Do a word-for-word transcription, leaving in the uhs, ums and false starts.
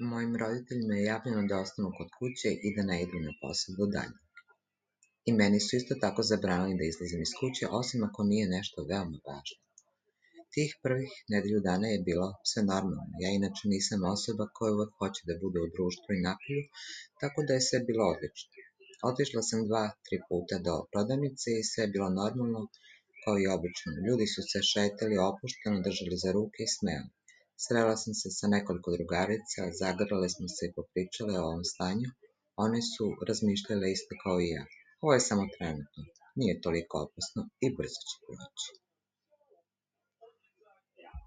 Mojim roditeljima je javljeno da ostanu kod kuće i da ne idu na posao do daljnjeg. I meni su isto tako zabranili da izlazim iz kuće, osim ako nije nešto veoma važno. Tih prvih nedelju dana je bilo sve normalno. Ja inače nisam osoba koja uvek hoće da bude u društvu i napolju, tako da je sve bilo odlično. Otišla sam dva, tri puta do prodavnice i sve je bilo normalno, kao i obično. Ljudi su se šetali opušteno, držali za ruke i smejali. Srela sam se sa nekoliko drugarica, zagrlile smo se i popričale o ovom stanju. One su razmišljale isto kao i ja. Ovo je samo trenutno, nije toliko opasno i brzo će proći.